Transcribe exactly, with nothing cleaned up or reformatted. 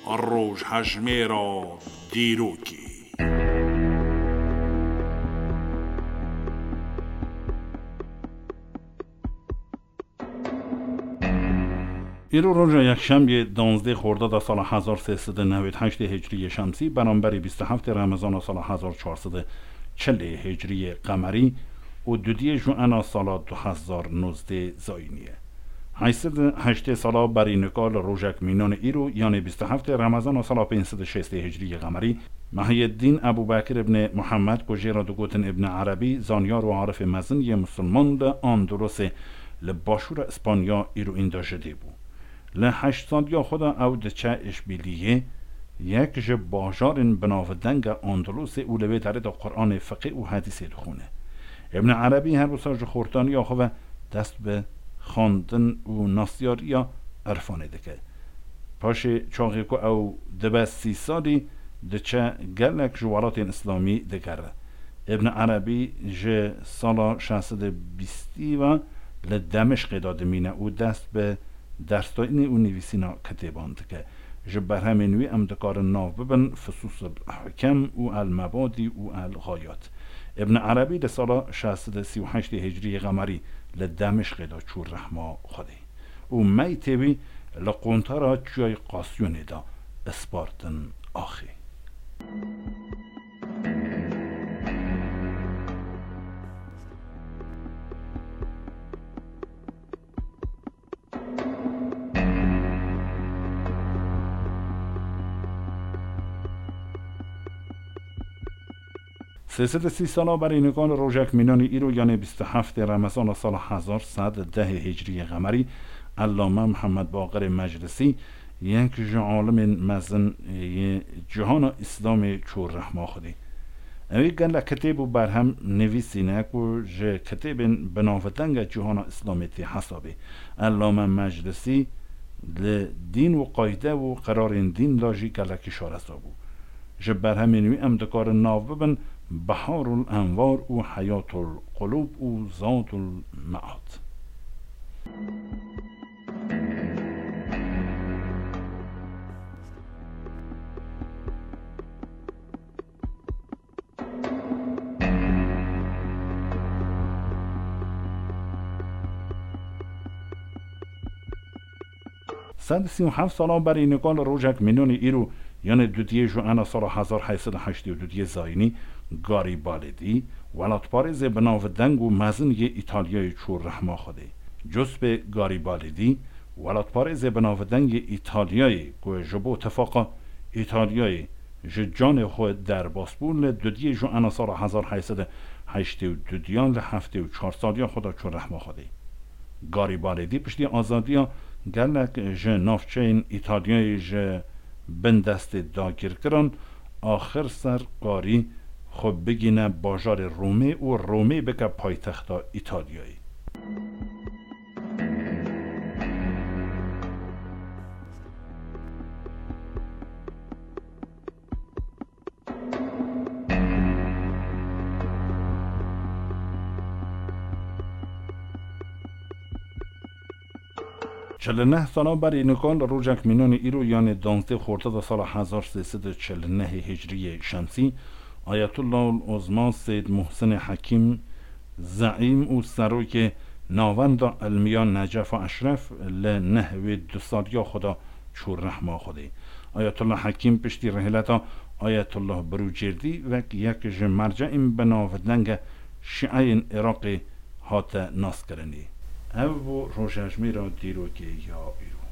Rojhejmêra dîrokê. Îro roja yekşemiyê, danzdê Xordada sala hezar sê sed û newêd heştê Hicriyê Şemsî, beramberî bîst û heftê Remezana sala hezar çar sed û çilê Hicriyê Qemerî û dudiyê Juena sala du hezar nozdê Zayînî ye. Heşt sed û heştê sala berî nika li rojek mînanê îro, yanê bîst û heftê Remezana sala pênc sed û şêstê Hicriyê Qemerî, Mehiyeddîn Ebû Bekir ibnê Muhammed, ku jê re digotin Ibn Erebî, zanyar û arifê mezin yê misilman li Andalusê li başûra Îspanya îro înda ji dê bû. Li heşt saliya xwe de ew diçe Îşbîliyê, yek ji bajarên binavdeng e Andalusê, û li wê derê de Quranê, fiqê û hedîsê dixwîne. Ibn Erebî her wisa ji xortaniya xwe ve dest bi xwendin û nasyariya irfanê dike. Paşê çaxê ku ew dibe sî salî, diçe gelek ji welatên Îslamî digere. Ibn Erebî ji sala şeş sed û bîstî ve li Demişqê de dimîne û dest bi dersdayînê û nivîsîna kitêban dike. Ji berhemên wî em dikarin nav bibin Fusus el Hikem û El Mebadî û El Gayat. Ibn Erebî li sala şeş sed û sî û heştê Hicriyê Qemerî li Demişqê de çû rehma Xwedê û meytê wî li quntara Çiyayê Qasyonê de ispartin axê. Sê sed û sî sala berî nika li rojek mînanî îro, yanê bîst û heftê Remezana sala hezar sed û dehê Hicriyê Qemerî, Ellame Mihemed Baqirê Meclisî, yek ji alimên mezin yê cîhana Îslamê çû rehma Xwedê. Ew ê gelek kitêb û berhem nivîsîne ku ji kitêbên binavdeng e cîhana Îslamê tê hesabê. Ellame Meclisî li dîn û qayde û qirarên dîn de jî gelekî şareza bû. Ji berhemên wî em dikarin nav bibin Biharul Enwar û Heyatul Qulûb û Zadul Mead. Sed û sî û heft sala berî nika li rojek mînanî îro, yanê dudiyê Juena sala hezar heyt sed û heştê û dudiyê Zayînî, Garibalidî, welatparêzê binavdeng û mezin yê Îtalyayê çû rehma Xwedê. Giuseppe Garibalidî, welatparêzê binavdeng yê Îtalyayê ku ji bo tifaqa Îtalyayê ji canê xwe derbas bû, li dudiyê Juena sala hezar heyt sed û heştê û dudiyan li heftê û çar saliya xwe de çû rehma Xwedê. Garibalidî piştî azadiya gelek ji navçeyên Îtalyayê ji bin destê dagirkiran, axir ser karî xwe bigîne bajarê Romê û Romê bike paytexta Îtalyayê. Çil û neh sala berî nika li rojek mînanî îro, yanê danzdê Xortata sala hezar sê sed û çil û nehê Hicriyê Şemsî, Ayetullah Uzma Seyd Muhsinê Hekîm, zeîm û serokê Navenda Ilmiya Necefa Eşref, li neh wê du saliya xwe de çû rehma Xwedê. Ayetullah Hekîm piştî rihileta Ayetullah Birûcêrdî wek yek ji merceên binavdenge şîeyên Iraqê hate naskirinê. Ev bû rojejmêra dîrokê ya îro.